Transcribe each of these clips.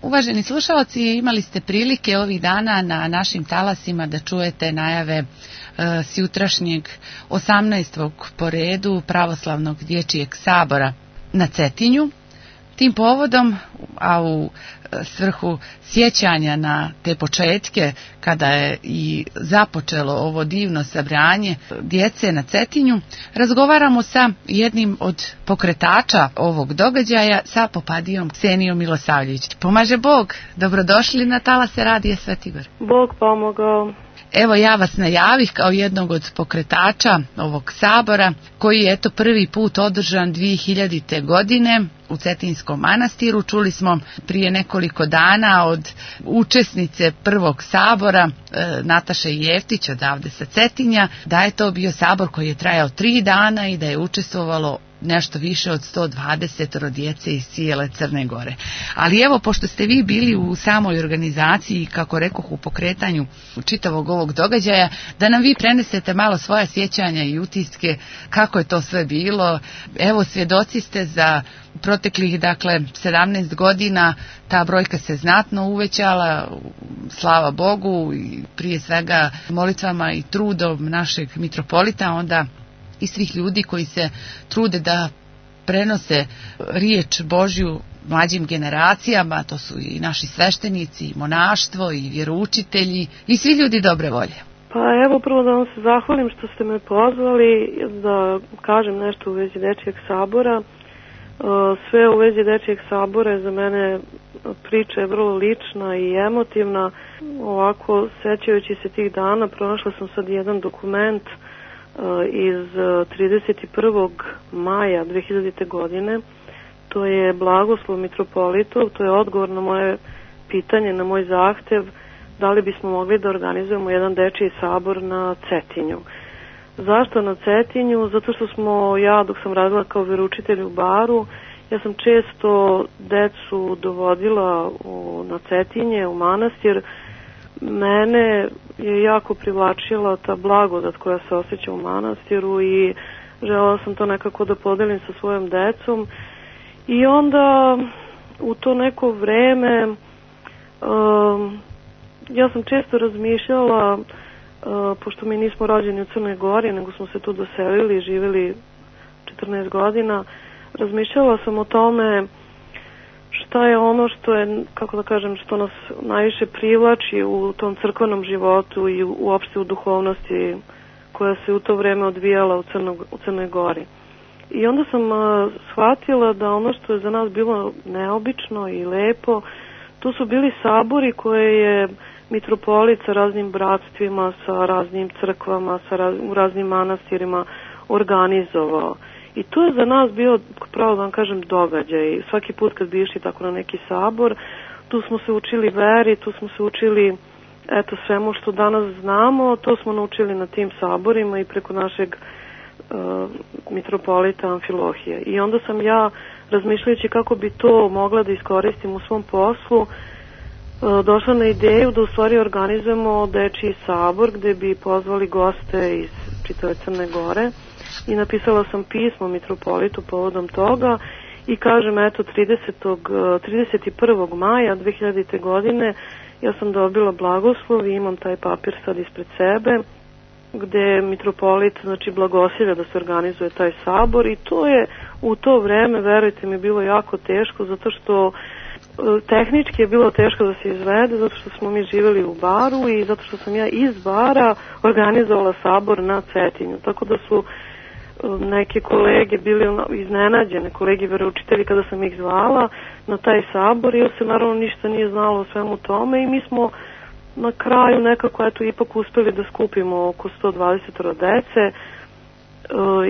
Uvaženi slušalci, imali ste prilike ovih dana na našim talasima da čujete najave sjutrašnjeg 18. po redu pravoslavnog dječjeg sabora na Cetinju. Tim povodom, a u svrhu sjećanja na te početke kada je i započelo ovo divno sabranje djece na Cetinju, razgovaramo sa jednim od pokretača ovog događaja, sa popadijom Ksenijom Milosavljević. Pomaže Bog, dobrodošli na talase Radija Svetigor. Bog pomogao. Evo, ja vas najavih kao jednog od pokretača ovog sabora, koji je prvi put održan 2000. godine u Cetinskom manastiru. Čuli smo prije nekoliko dana od učesnice prvog sabora, Nataše Jeftić odavde sa Cetinja, da je to bio sabor koji je trajao 3 dana i da je učestvovalo nešto više od 120 djece iz cijele Crne Gore. Ali evo, pošto ste vi bili u samoj organizaciji, kako rekoh, u pokretanju čitavog ovog događaja, da nam vi prenesete malo svoja sjećanja i utiske, kako je to sve bilo. Evo, svjedoci ste za proteklih, 17 godina, ta brojka se znatno uvećala, slava Bogu, i prije svega molitvama i trudom našeg mitropolita, onda i svih ljudi koji se trude da prenose riječ Božju mlađim generacijama. To su i naši sveštenici, i monaštvo, i vjeroučitelji, i svi ljudi dobre volje. Pa evo, prvo da vam se zahvalim što ste me pozvali da kažem nešto u vezi Dečijeg sabora. Sve u vezi Dečijeg sabora je za mene priča je vrlo lična i emotivna. Ovako, sećajući se tih dana, pronašla sam sad jedan dokument iz 31. maja 2000. godine. To je blagoslov mitropolitov, to je odgovor na moje pitanje, na moj zahtev da li bismo mogli da organizujemo jedan dečiji sabor na Cetinju. Zašto na Cetinju? Zato što dok sam radila kao veroučitelj u Baru, ja sam često decu dovodila na Cetinje, u manastir. Mene je jako privlačila ta blagodat koja se osjeća u manastiru i želela sam to nekako da podelim sa svojom decom. I onda u to neko vreme ja sam često razmišljala, pošto mi nismo rođeni u Crnoj Gori, nego smo se tu doselili i živjeli 14 godina, razmišljala sam o tome šta je ono što je, kako da kažem, što nas najviše privlači u tom crkvenom životu i uopšte u duhovnosti koja se u to vreme odvijala u Crnoj Gori. I onda sam shvatila da ono što je za nas bilo neobično i lepo, tu su bili sabori koje je mitropolit sa raznim bratstvima, sa raznim crkvama, u raznim manastirima organizovao. I to je za nas bio, pravo da vam kažem, događaj. Svaki put kad bi išli tako na neki sabor, tu smo se učili veri, tu smo se učili svemu što danas znamo, to smo naučili na tim saborima i preko našeg mitropolita Amfilohija. I onda sam ja, razmišljajući kako bi to mogla da iskoristim u svom poslu, došla na ideju da u stvari organizujemo dečiji sabor gde bi pozvali goste iz čitave Crne Gore. I napisala sam pismo mitropolitu povodom toga i kažem, 31. maja 2000. godine ja sam dobila blagoslov i imam taj papir sad ispred sebe gde mitropolit blagosilja da se organizuje taj sabor i to je u to vreme, verujte mi, bilo jako teško zato što tehnički je bilo teško da se izvede zato što smo mi živjeli u Baru i zato što sam ja iz Bara organizovala sabor na Cetinju, tako da su neke kolege bili iznenađene, kolege veroučitelji kada sam ih zvala na taj sabor i se naravno ništa nije znalo o svemu tome i mi smo na kraju nekako ipak uspeli da skupimo oko 120 dece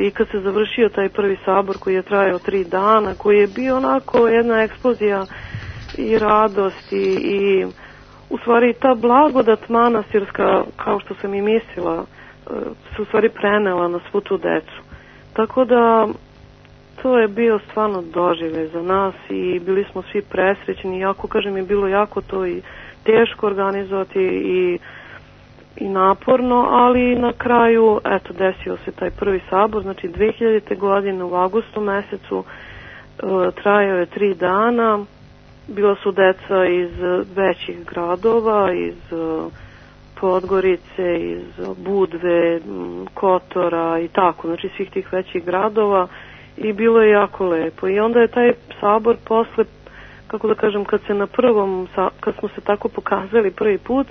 i kad se završio taj prvi sabor koji je trajao 3 dana, koji je bio onako jedna eksplozija i radosti i u stvari ta blagodat manastirska, kao što sam i mislila, se u stvari prenela na svu tu decu. Tako da to je bio stvarno doživljaj za nas i bili smo svi presrećni, jako kažem je bilo jako to i teško organizovati i naporno, ali na kraju desio se taj prvi sabor, znači 2000. godine u avgustu mesecu, trajao je 3 dana bila su deca iz većih gradova, iz Podgorice, iz Budve, Kotora i tako, znači svih tih većih gradova, i bilo je jako lepo. I onda je taj sabor posle, kako da kažem, kad smo se tako pokazali prvi put,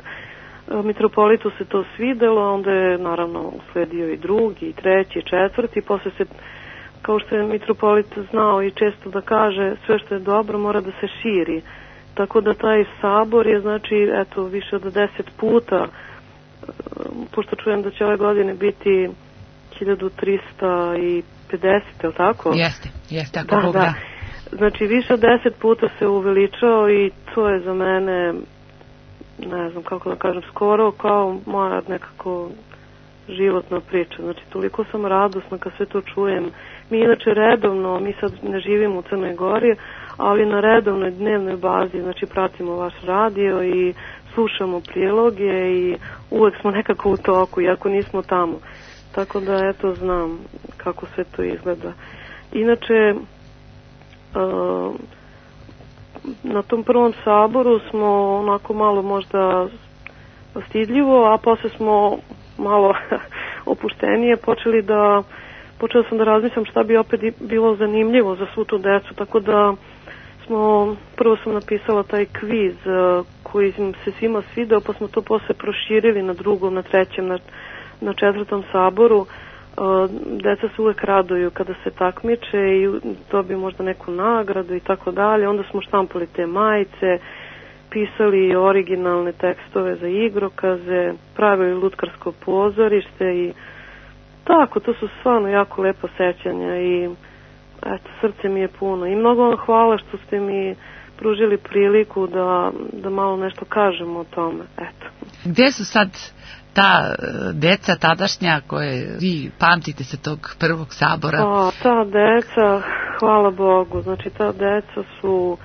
mitropolitu se to svidelo, onda je naravno usledio i drugi, i treći, i četvrti, posle se, kao što je mitropolit znao i često da kaže, sve što je dobro mora da se širi. Tako da taj sabor je, znači, eto, više od 10 puta, pošto čujem da će ove godine biti 1350, je li tako? Jeste, ako Bog da. Znači, više od 10 puta se uveličao i to je za mene, ne znam kako da kažem, skoro kao moja nekako životna priča. Znači, toliko sam radosna kad sve to čujem. Mi inače redovno, mi sad ne živimo u Crnoj Gori, ali na redovnoj dnevnoj bazi, znači, pratimo vaš radio i slušamo priloge i uvek smo nekako u toku, iako nismo tamo. Tako da, eto, znam kako sve to izgleda. Inače, na tom prvom saboru smo onako malo možda stidljivo, a posle smo malo opuštenije počela sam da razmišljam šta bi opet bilo zanimljivo za svu tu decu, tako da prvo sam napisala taj kviz koji se svima svideo, pa smo to posle proširili na drugom, na trećem, na četvrtom saboru. Deca se uvek raduju kada se takmiče i dobiju možda neku nagradu i tako dalje. Onda smo štampali te majice, pisali originalne tekstove za igrokaze, pravili lutkarsko pozorište i tako, to su stvarno jako lepo sećanja i eto, srce mi je puno. I mnogo vam hvala što ste mi pružili priliku da malo nešto kažemo o tome. Eto. Gdje su sad ta deca tadašnja koje vi pamtite se tog prvog sabora? Ta deca, hvala Bogu, znači ta deca su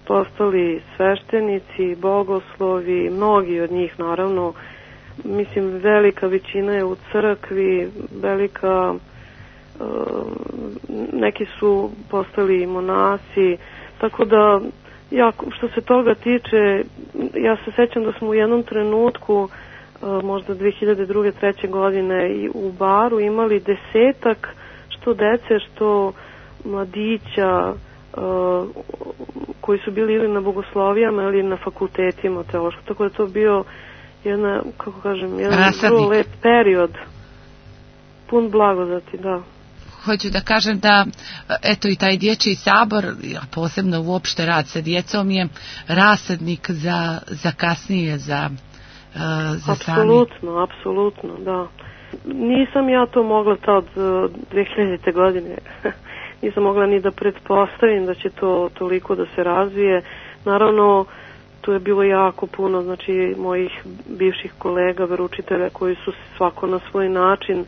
postali sveštenici, bogoslovi, mnogi od njih naravno, mislim velika većina je u crkvi, neki su postali monasi, tako da što se toga tiče, ja se sećam da smo u jednom trenutku možda 2002. 3. godine i u baru imali 10 što dece, što mladića koji su bili ili na bogoslovijama ili na fakultetima teološkog, tako da to bio jedan vrlo lep period, pun blagodati, da. Hoću da kažem da, eto, i taj dječji sabor, posebno uopšte rad sa djecom, je rasadnik za kasnije, za Apsolutno, da. Nisam ja to mogla od 2000. godine. Nisam mogla ni da pretpostavim da će to toliko da se razvije. Naravno, tu je bilo jako puno, znači, mojih bivših kolega, veroučitelja, koji su svako na svoj način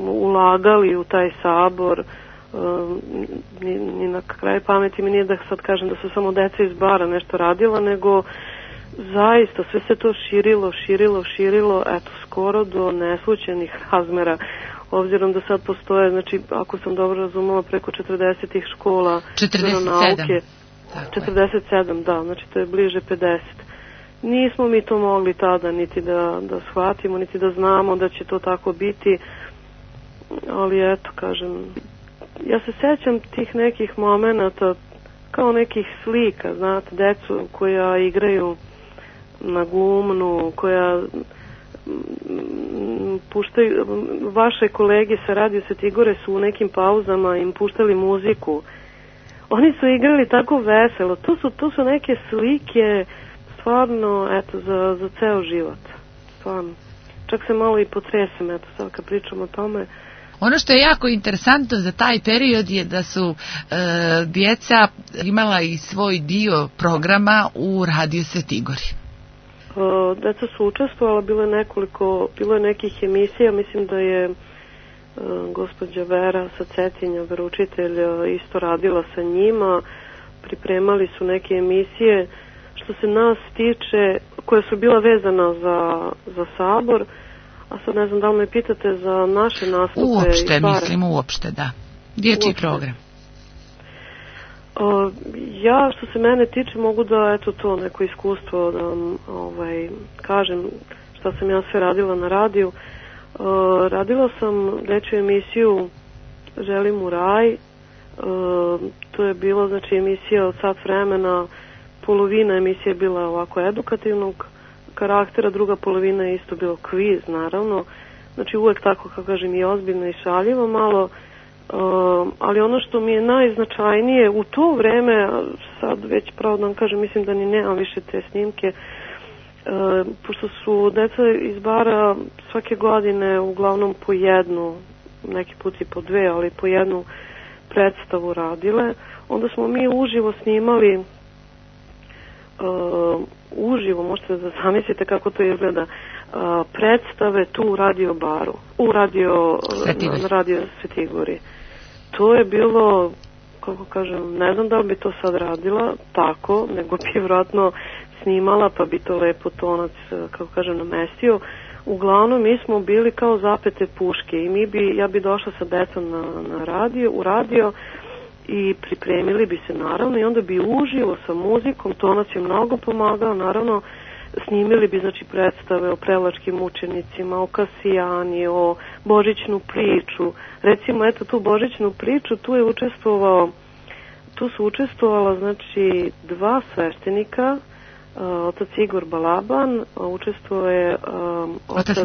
ulagali u taj sabor. Ni na kraju pameti mi nije da sad kažem da su samo deca iz bara nešto radila, nego zaista sve se to širilo, eto, skoro do neslućenih razmera, obzirom da sad postoje, znači, ako sam dobro razumela, preko 40 škola 47, da, znači to je bliže 50. Nismo mi to mogli tada niti da shvatimo, niti da znamo da će to tako biti, ali eto, kažem, ja se sećam tih nekih momenata kao nekih slika, znate, decu koja igraju na gumnu, koja puštaju, vaše kolege sa Radio Svetigore su u nekim pauzama im puštali muziku. Oni su igrali tako veselo. To su neke slike stvarno, eto, za ceo život. Stvarno. Čak se malo i potresem, eto, sad kad pričam o tome. Ono što je jako interesantno za taj period je da su djeca imala i svoj dio programa u Radio Svetigori. Deca su učestvovala, bilo je nekih emisija, mislim da je gospođa Vera sa Cetinja, veroučitelj, isto radila sa njima, pripremali su neke emisije, što se nas tiče, koje su bila vezana za sabor, a sad ne znam da li me pitate za naše nastupe. Uopšte, da. Dječji program. Ja, što se mene tiče, mogu da, eto to, neko iskustvo da kažem šta sam ja sve radila na radiju. Radila sam dečju emisiju Želim u raj. To je bilo, znači, emisija od sat vremena. Polovina emisije je bila ovako edukativnog karaktera, druga polovina je isto bilo kviz, naravno. Znači, uvek tako, kako kažem, i ozbiljno i šaljivo malo. Ali ono što mi je najznačajnije u to vreme, sad već pravo da vam kažem, mislim da ni nemam više te snimke, pošto su deca iz bara svake godine uglavnom po jednu, neki put i po dve, ali po jednu predstavu radile, onda smo mi uživo snimali, uživo, možete da zamislite kako to izgleda, predstave tu u radio baru, na radio Svetigori. To je bilo, kako kažem, ne znam da li bi to sad radila tako, nego bi vjerojatno snimala, pa bi to lepo tonac, kako kažem, namestio. Uglavnom, mi smo bili kao zapete puške i ja bi došla sa decom u radio i pripremili bi se, naravno, i onda bi uživo sa muzikom, tonac je mnogo pomagao, naravno, snimili bi, znači, predstave o prelačkim učenicima, o Kasijani, o božićnu priču. Recimo, eto, tu božićnu priču, tu su učestvovala, znači, dva sveštenika, otac Igor Balaban, učestvovao je otac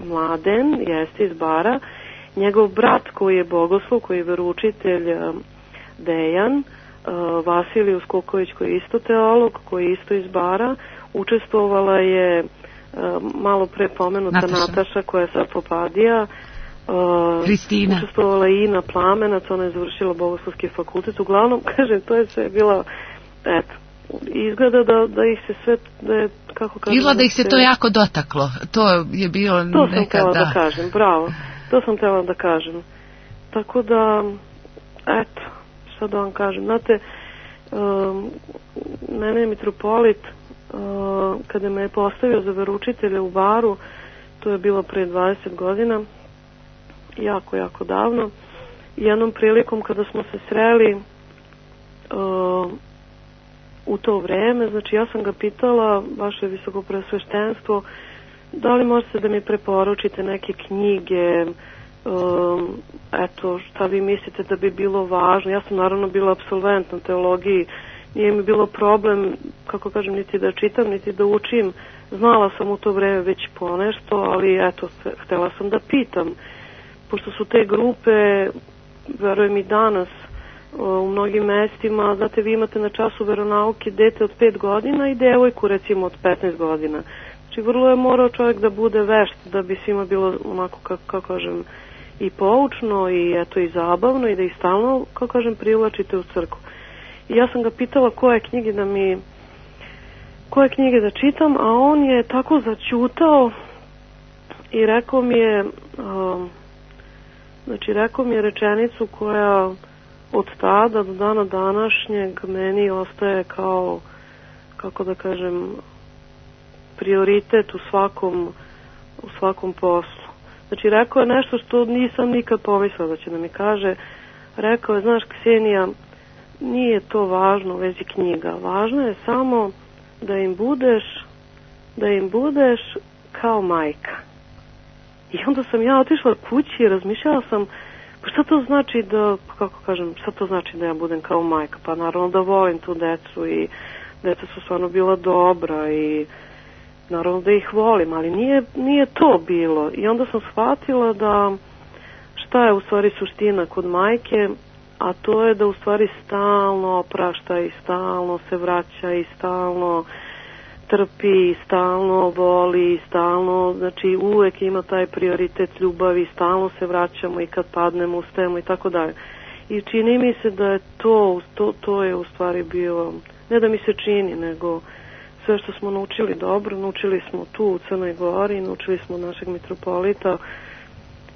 Mladen, jeste iz bara, njegov brat koji je bogoslov, koji je veroučitelj Dejan, Vasilij Uskoković koji je isto teolog, koji je isto iz bara, učestvovala je malo pre pomenuta Nataša koja je sad Popadija, Kristina. Učestvovala je Ina Plamenac, ona je završila Bogoslovski fakultet. Uglavnom, kažem, to je sve bilo, eto, izgleda da ih se sve, da je, kako kažem... Izgleda da ih se to jako dotaklo. To je bilo nekada... To sam htjela da kažem, bravo. To sam htjela da kažem. Tako da, eto, šta da vam kažem. Znate, mene je mitropolit, kada me je postavio za veroučitelja u baru, to je bilo pre 20 godina, jako, jako davno. Jednom prilikom kada smo se sreli u to vreme, znači ja sam ga pitala, vaše visokopreosveštenstvo, da li možete da mi preporučite neke knjige, eto, šta vi mislite da bi bilo važno. Ja sam naravno bila apsolvent na teologiji, nije mi bilo problem, kako kažem, niti da čitam, niti da učim. Znala sam u to vreme već ponešto, ali eto, htela sam da pitam. Pošto su te grupe, verujem i danas, u mnogim mestima, znate, vi imate na času veronauke dete od 5 godina i devojku recimo od 15 godina. Znači, vrlo je morao čovjek da bude vešt da bi svima bilo onako, kako kažem, i poučno i eto i zabavno i da ih stalno, kako kažem, privlačite u crkvu. I ja sam ga pitala koje knjige da čitam, a on je tako začutao i rekao mi je rečenicu koja od tada do dana današnjeg meni ostaje kao, kako da kažem, prioritet u svakom poslu. Znači, rekao je nešto što nisam nikad pomislila da će da mi kaže. Rekao je, znaš, Ksenija, nije to važno u vezi knjiga. Važno je samo da im budeš kao majka. I onda sam ja otišla kući i razmišljala sam, pa šta to znači da ja budem kao majka? Pa naravno da volim tu decu i deca su stvarno bila dobra i naravno da ih volim, ali nije to bilo. I onda sam shvatila da šta je u stvari suština kod majke, a to je da u stvari stalno oprašta i stalno se vraća i stalno trpi, stalno voli, stalno, znači uvek ima taj prioritet ljubavi, stalno se vraćamo i kad padnemo, ustajemo i tako dalje. I čini mi se da je to je u stvari bio, ne da mi se čini, nego sve što smo naučili dobro, naučili smo tu u Crnoj Gori, naučili smo našeg mitropolita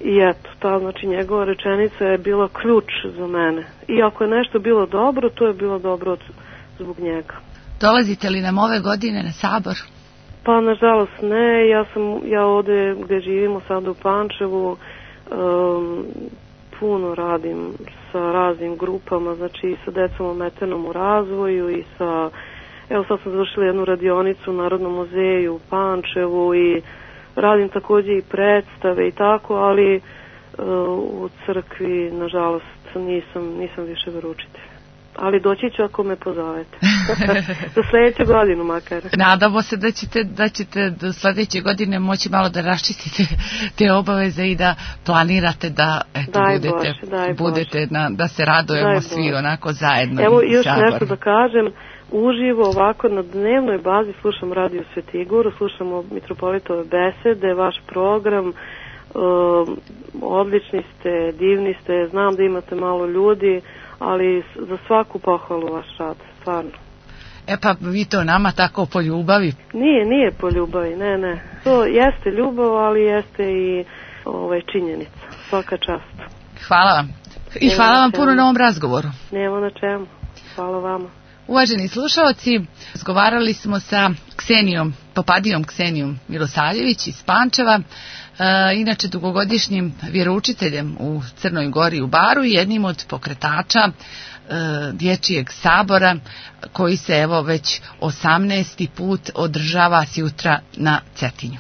i eto, ta, znači njegova rečenica je bila ključ za mene. I ako je nešto bilo dobro, to je bilo dobro zbog njega. Dolazite li nam ove godine na sabor? Pa nažalost ne, ja ovde gde živimo sada u Pančevu, puno radim sa raznim grupama, znači i sa decom ometenom u razvoju i sa, evo sad sam završila jednu radionicu u Narodnom muzeju u Pančevu i radim takođe i predstave i tako, ali u crkvi nažalost nisam više veroučitelj. Ali doći ću ako me pozovete. Za sledeću godinu makar. Nadamo se da ćete do sledeće godine moći malo da raščistite te obaveze i da planirate da budete da se radujemo svi onako zajedno. Evo još nešto da kažem. Uživo ovako na dnevnoj bazi slušam Radio Svetigoru, slušamo mitropolitove besede, vaš program. Odlični ste, divni ste, znam da imate malo ljudi, ali za svaku pohvalu vaš rad, stvarno. E pa vi to nama tako po ljubavi? Nije po ljubavi, ne. To jeste ljubav, ali jeste i činjenica. Svaka čast. Hvala vam. I hvala vam puno na ovom razgovoru. Nema na čemu. Hvala vama. Uvaženi slušaoci, razgovarali smo sa Popadijom Ksenijom Milosavljević iz Pančeva, inače dugogodišnjim vjeroučiteljem u Crnoj Gori u Baru i jednim od pokretača Dječjeg sabora koji se evo već 18. put održava sjutra na Cetinju.